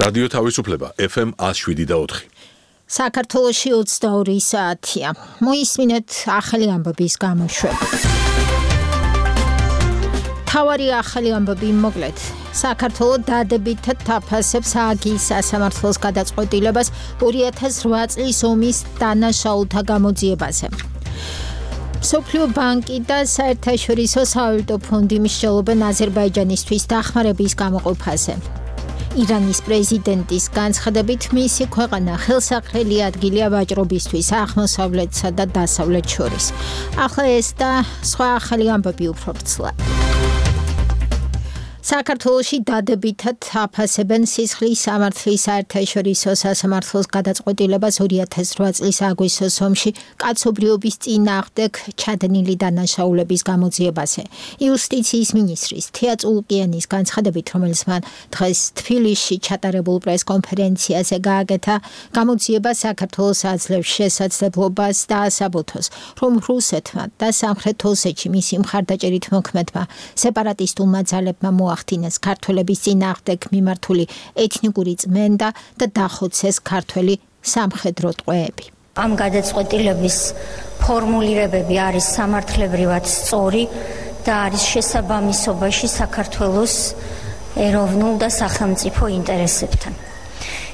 რადიო თავისუფლება FM 107.4. საქართველოში 22 საათია. მოისმინეთ ახალი ამბების გამოშვება. თავარი ახალი ამბები მოკლედ. საქართველო დადებითად თაფასებს ააგის სასამართლოს გადაწყვეტილებას 2008 წლის ომის დანაშაულთა გამოძიებაზე. მსოფლიო ბანკი და საერთაშორისო სავალუტო ფონდი მსჯელობენ აზერბაიჯანისთვის დახმარების გამოყოფაზე. ირანის პრეზიდენტის განცხადებით მისი ქვეყანა ხელსაყრელი ადგილია ვაჭრობისთვის აღმოსავლეთსა და დასავლეთ შორის. ახლა ეს და სხვა ახალი ამბები უფრო ვრცლად. საქართველოში დადებითად აფასებენ სისხლის სამართლის საერთაშორისო სასამართლოს გადაწყვეტილებას 2008 წლის აგვისტოს ომში კაცობრიობის წინააღმდეგ ჩადენილი დანაშაულების გამოძიებაზე. იუსტიციის მინისტრის თია წულუკიანის განცხადებით, რომელიც მან დღეს თბილისში ჩატარებულ პრესკონფერენციაზე გააკეთა, გამოძიება საქართველოს აძლევს შესაძლებლობას დაასაბუთოს, რომ რუსეთმა და სამხრეთ ოსეთში მისი მხარდაჭერით მოქმედმა სეპარატისტულმა ძალებმა ახდინეს ქართველების წინააღმდეგ მიმართული ეთნიკური წმენდა და დახოცეს ქართველი სამხედრო ტყვეები. ამ გადაწყვეტილების ფორმულირებები არის სამართლებრივად სწორი და არის შესაბამისობაში საქართველოს ეროვნულ და სახელმწიფო ინტერესებთან.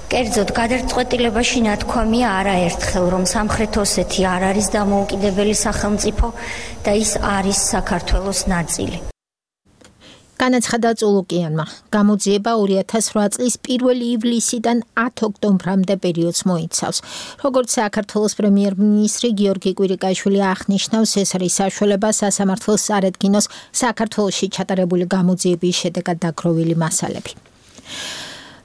კერძოდ გადაწყვეტილებაში ნათქვამია არაერთხელ, რომ სამხრეთ ოსეთი არ არის დამოუკიდებელი სახელმწიფო და ის არის საქართველოს ნაწილი. განაცხადა წულუკიანმა, გამოძიება 2008 წლის 1 ივლისიდან 10 ოქტომბრამდე პერიოდს მოიცავს. როგორც საქართველოს პრემიერ-მინისტრი გიორგი კვირიკაშვილი აღნიშნავს, ეს არის საშუალება სასამართლოს წარედგინოს საქართველოში ჩატარებული გამოძიების შედეგად დაგროვილი მასალები.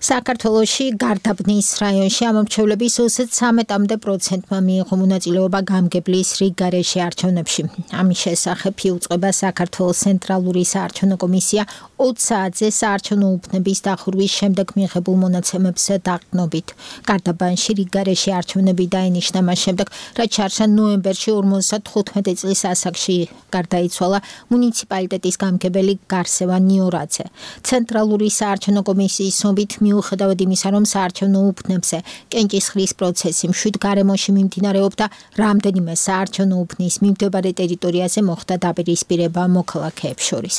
საქართველოში გარდაბნის რაიონში ამომრჩევლების 33%-მდე მიიღო მონაწილეობა გამგებლის რიგ გარეშე არჩევნებში. ამის შესახებ იუწყება საქართველოს ცენტრალური საარჩევნო კომისია 20 საათზე საარჩევნო უბნების დახურვის შემდეგ მიღებულ მონაცემებზე დაყრდნობით. გარდაბანში რიგ გარეშე არჩევნები დაინიშნა მას შემდეგ, რაც შარშან ნოემბერში 55 წლის ასაკში გარდაიცვალა მუნიციპალიტეტის გამგებელი გარსევა ნიორაძე. ცენტრალური საარჩევნო კომისიის ცნობით მიუხედავად იმისა, რომ საარჩევნო უბნებზე კენჭისყრის პროცესი მშვიდ გარემოში მიმდინარეობდა, რამდენიმე საარჩევნო უბნის მიმდებარე ტერიტორიაზე მოხდა დაპირისპირება მოქალაქეებს შორის.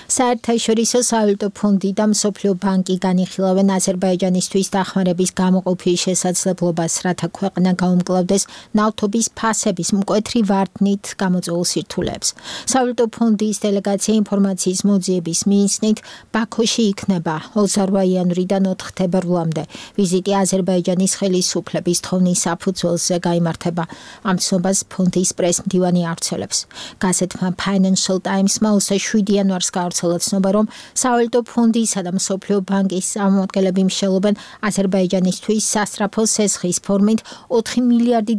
საერთაშორისო სავალუტო ფონდი და მსოფლიო ბანკი განიხილავენ აზერბაიჯანისთვის დახმარების გამოყოფის შესაძლებლობას, რათა ქვეყანა გაუმკლავდეს ნავთობის ფასების მკვეთრი ვარდნით გამოწვეულ სირთულეებს. სავალუტო ფონდის დელეგაცია ინფორმაციის მოძიების მიზნით ბაქოში იქნება 28 იანვრიდან 4 თებერვლამდე. ვიზიტი აზერბაიჯანის ხელისუფლების თხოვნის საფუძველზე გაიმართება. ამ ცნობას ფონდის პრესმდივანი ავრცელებს. გაზეთმა Financial Times-მა 7 იანვარს გავრცელა ცნობა, რომ სავალუტო ფონდისა და მსოფლიო ბანკის წარმომადგენლები მსჯელობენ აზერბაიჯანისთვის სასწრაფო სესხის ფორმით 4 მილიარდი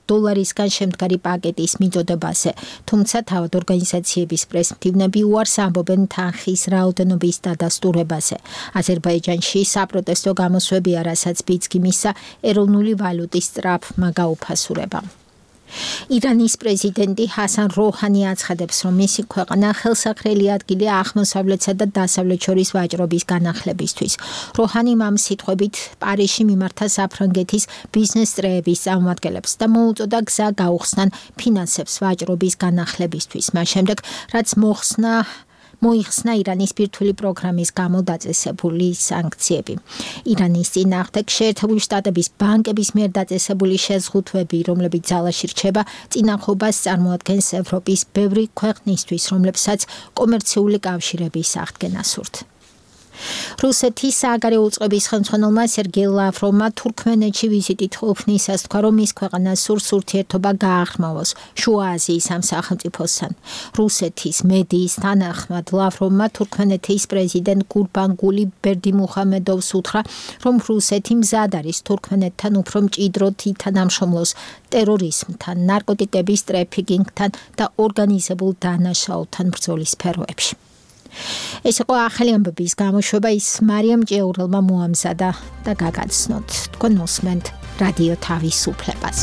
დოლარისგან შემდგარი პაკეტის მიწოდებაზე. თუმცა თავად ორგანიზაციების პრესმდივნები უარს ამბობენ თანხის რაოდენობის დადასტურებაზე. აზერბაიჯანში საპროტესტო გამოსვებია, რასაც ბიძგი მისცა ეროვნული ვალუტის სწრაფმა გაუფასურებამ. ირანის პრეზიდენტი ჰასან როჰანი აცხადებს, რომ მისი ქვეყანა ხელსაყრელი ადგილია აღმოსავლეთსა და დასავლეთ შორის ვაჭრობის განახლებისთვის. როჰანიმ ამ სიტყვებით პარიზში მიმართა საფრანგეთის ბიზნეს წრეების წარმომადგენლებს და მოუწოდა გზა გაუხსნან ფინანსებს ვაჭრობის განახლებისთვის. მას შემდეგ, რაც მოიხსნა ირანის ბირთვული პროგრამის გამო დაწესებული სანქციები. ირანის წინააღმდეგ შეერთებული შტატების ბანკების მიერ დაწესებული შეზღუდვები, რომლებიც ძალაში რჩება, წინახობას წარმოადგენს ევროპის ბევრი ქვეყნისთვის, რომლებსაც კომერციული კავშირების აღდგენა სურთ. რუსეთის სააგარეო უწყების ხელმძღვანელმა სერგეი ლავროვმა თურქმენეთში ვიზიტით ყოფნისას თქვა, რომ მის ქვეყანას სურს ურთიერთობა გააღრმავოს შუა აზიის ამ სახელმწიფოსთან. რუსეთის მედიის თანახმად ლავროვმა თურქმენეთის პრეზიდენტ გურბანგული ბერდიმუხამედოვს უთხრა, რომ რუსეთი მზად არის თურქმენეთთან უფრო მჭიდროდ ითანამშრომლოს ტერორიზმთან, ნარკოტიკების ტრაფიკინგთან და ორგანიზებულ დანაშაულთან ბრძოლის სფეროებში. ეს იყო ახალი ამბების გამოშვება, ის მარიამ ჭეურელმა მოამზადა და გაგაცნოთ. თქვენ მოსმენთ რადიო თავისუფლებას.